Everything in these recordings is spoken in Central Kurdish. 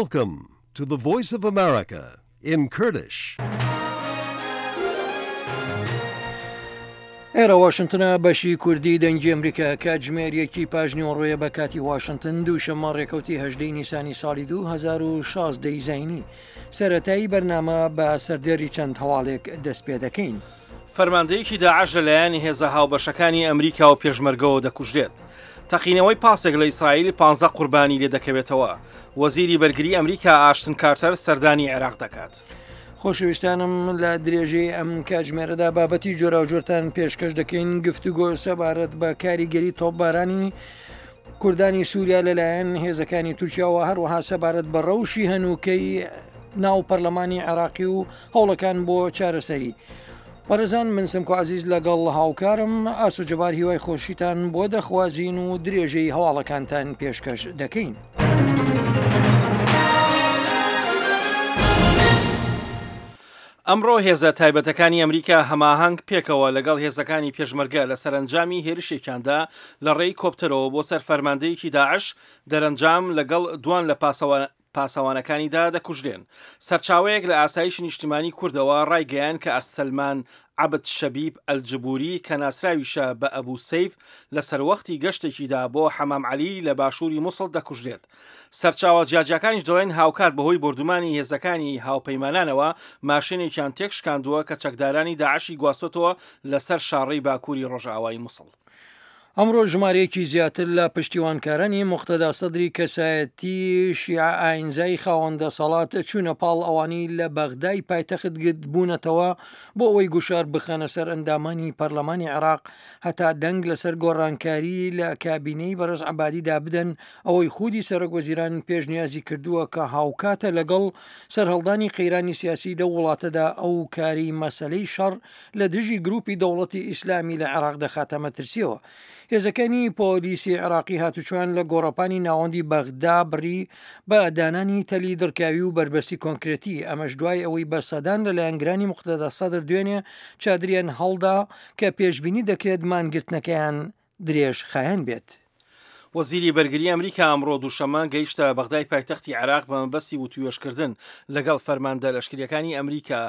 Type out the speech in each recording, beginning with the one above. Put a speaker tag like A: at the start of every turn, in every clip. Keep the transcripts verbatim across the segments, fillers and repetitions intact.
A: Welcome to the Voice of America in Kurdish.
B: ئێرە واشنتنە بەشی کوردی دەنگی ئەمریکا کاتژمێر یەکی پاش نیوەڕۆیە بە کاتی واشنتن دووشەممە ڕێکەوتی هەژدەی نیسانی ساڵی دوو هەزار و شازدە ی زایینی. سەرەتایی بەرنامە بە سەردێڕی چەند هەواڵێک دەست پێ دەکەین.
C: فەرماندەیەکی داعش لەلایەن هێزە هاوبەشەکانی ئەمریکا و پێشمەرگەوە دەکوژرێت. تەقینەوەی پاسێک لە ئیسرائیل پانزە قوربانی لێدەکەوێتەوە. وەزیری بەرگری ئەمریکا ئاشتن کارتەر سەردانی عێراق دەکات.
B: خۆشەویستانم لە درێژەی ئەم کاتژمێرەدا بابەتی جۆراوجۆرتان پێشکەش دەکەین. گفتوگۆ سەبارەت بە کاریگەری تۆپبارانی کوردانی سووریا لەلایەن هێزەکانی تورکیاوە، هەروەها سەبارەت بە ڕەوشی هەنووکەی ناو پەرلەمانی عێراقی و هەوڵەکان بۆ چارەسەری. بەڕێزان من سمکۆ عەزیز لەگەڵ هاوکارم ئاسۆ جەبار هیوای خۆشیتان بۆ دەخوازین و درێژەی هەواڵەکانتان پێشکەش دەکەین.
C: ئەمڕۆ هێزە تایبەتەکانی ئەمریکا هەماهەنگ پێکەوە لەگەڵ هێزەکانی پێشمەرگە لە سەرەنجامی هێرشێکیاندا لە ڕێی کۆپتەرەوە بۆ سەر فەرماندەیەکی داعش دەرەنجام لەگەڵ دوان لە پاسەوانەکانیدا دەکوژرێن. سەرچاوەیەک لە ئاسایشی نیشتیمانی کوردەوە ڕایگەیان کە ئەسەلمان عەبد شەبیب ئەلجبوری کە ناسراویشە بە ئەبو سەیف لە سەروەختی گەشتێکیدا بۆ حەمام عەلی لە باشووری موسڵ دەکوژرێت. سەرچاوە جیاجیاکانیش دەڵێن هاوکات بەهۆی بۆردومانی هێزەکانی هاوپەیمانانەوە ماشێنێکیان تێکشکاندووە کە چەکدارانی داعشی گواستۆتەوە لەسەر شاڕێی باکووری ڕۆژئاوای موسڵ.
B: ئەمڕۆ ژمارەیەکی زیاتر لە پشتیوانکارانی موقتەدا سەدری کەسایەتی شیعە ئاینزای خاوەن دەسەڵات چوونە پاڵ ئەوانەی لە بەغدای پایتەخت گردبوونەتەوە بۆ ئەوەی گوشار بخەنە سەر ئەندامانی پەرلەمانی عێراق هەتا دەنگ لەسەر گۆڕانکاری لە کابینەی بەڕێز عەبادیدا بدەن، ئەوەی خودی سەرۆک وەزیران پێشنیازی کردووە کە هاوکاتە لەگەڵ سەرهەڵدانی قەیرانی سیاسی لەو وڵاتەدا ئەو کاری مەسەلەی شەڕ لە دژی گروپی دەوڵەتی ئیسلامی لە عێراق دەخاتە مەترسیەوە. هێزەکانی پۆلیسی عێراقی هاتوچۆیان لە گۆڕەپانی ناوەندی بەغدا بڕی بە دانانی تەلی دڕکاوی و بەربەستی کۆنکرێتی، ئەمەش دوای ئەوەی بە سەدان لە لایەنگرانی موقتەدا سەدر دوێنێ چادریان هەڵدا کە پێشبینی دەکرێت مانگرتنەکەیان درێژخایەن بێت.
C: وەزیری بەرگری ئەمریکا ئەمڕۆ دووشەممە گەیشتە بەغدای پایتەختی عێراق بە مەبەستی وتوێژکردن لەگەڵ فەرماندە لەشکریەکانی ئەمریکا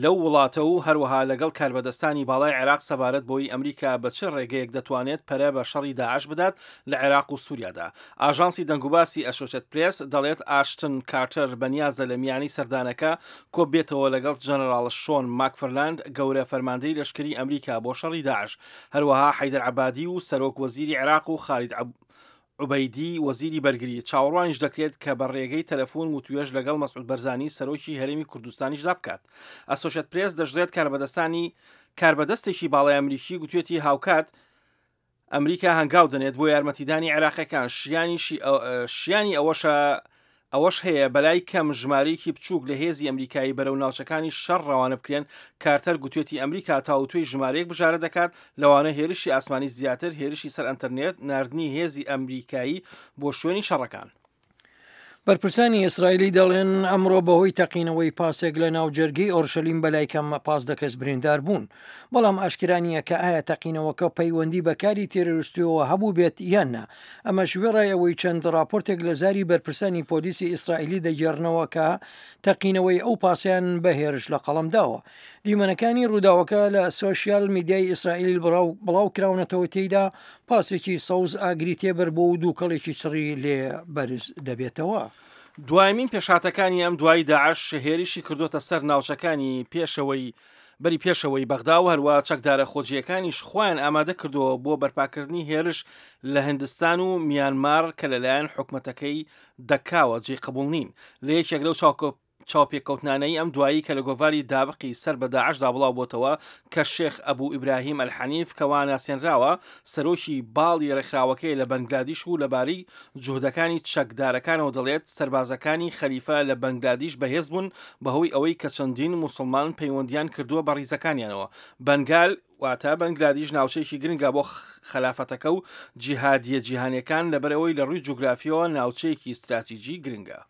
C: لەو وڵاتە و هەروەها لەگەڵ کاربەدەستانی باڵای عێراق سەبارەت بۆی ئەمریکا بە چ ڕێگەیەک دەتوانێت پەرە بە شەڕی داعش بدات لە عێراق و سووریادا. ئاژانسی دەنگوباسی ئەسۆسیەت پرێس دەڵێت ئاشتن کارتەر بەنیازە لە میانی سەردانەکە کۆبێتەوە لەگەڵ جەنەراڵ شۆن ماکفرلاند گەورە فەرماندەی لەشکری ئەمریکا بۆ شەڕی داعش، هەروەها حەیدەر عەبادی و سەرۆک وەزیری عێراق و خالید عوبەیدی وەزیری بەرگری. چاوەڕوانیش دەکرێت کە بە ڕێگەی تەلەفۆن وتوێژ لەگەڵ مەسعود بەرزانی سەرۆکی هەرێمی کوردستانیشدا بکات. ئەسۆشێت پرێس دەشڵێت کاربەدەستانی کاربەدەستێکی باڵای ئەمریکی گوتوێتی هاوکات ئەمریکا هەنگاو دەنێت بۆ یارمەتیدانی عێراقیەکان، شیانی ئەوەشە ئەوەش هەیە بەلای کەم ژمارەیەکی بچووک لە هێزی ئەمریکایی بەرەو ناوچەکانی شەڕ ڕەوانە بکرێن. کارتەر گوتوێتی ئەمریکا تاوتوێی ژمارەیەک بژارە دەکات، لەوانە هێرشی ئاسمانی زیاتر، هێرشی سەر ئەنتەرنێت، ناردنی هێزی ئەمریکایی بۆ شوێنی شەڕەکان.
B: بەرپرسانی ئیسرائیلی دەڵێن ئەمڕۆ بەهۆی تەقینەوەی پاسێک لە ناو جەرگەی ئۆرشەلیم بەلای کەم پازدە کەس بریندار بوون، بەڵام ئاشکرا نییە کە ئایا تەقینەوەکە پەیوەندی بە کاری تێرۆریستیەوە هەبوو بێت یان نا. ئەمەش وێڕای ئەوەی چەند راپۆرتێک لە زاری بەرپرسانی پۆلیسی ئیسرائیلی دەگێڕنەوە کە تەقینەوەی ئەو پاسیان بە هێرش لە قەڵەم داوە. دیمەنەکانی ڕووداوەکە لە سۆشیال میدیای ئیسرائیل بڵاو کراونەتەوە، تێیدا پاسێکی سەوز ئاگری تێبەر بۆ و دووکەڵێکی چڕی لێ بەرز دەبێتەوە.
C: دوایمین پێشاتەکانی ئەم دوای داعش هێرشی کردوتە سەر ناوچەکانی پێشەوەی بەری پێشەوەی بەغدا و هەروە چەکدارە خۆجییەکانیش خۆیان ئامادە کردووە بۆ بەرپاکردنی هێرش لە هندستان و میانمار کە لەلایەن حکومەتەکەی دەکاوە جێی قبوڵ نین. لە یەکێک لەو چاوپێکەوتنانەی ئەم دوایی کە لە گۆڤاری دابقی سەر بە داعشدا بڵاو بۆتەوە کە شێخ ئەبوو ئیبراهیم ئەلحەنیف کەوا ناسێنراوە سەرۆکی باڵی ڕێکخراوەکەی لە بەنگلادیش و لەبارەی جوهدەکانی چەکدارەکانەوە دەڵێت سەربازەکانی خەلیفە لە بەنگلادیش بەهێز بوون بەهۆی ئەوەی کە چەندین موسڵمان پەیوەندیان کردووە بە ڕیزەکانیانەوە. بەنگال واتە بەنگلادیش ناوچەیەکی گرنگە بۆ خەلافەتەکە و جیهادیە جیهانیەکان لەبەرئەوەی لە ڕووی جوگرافیەوە ناوچەیەکی استراتیجی گرنگە.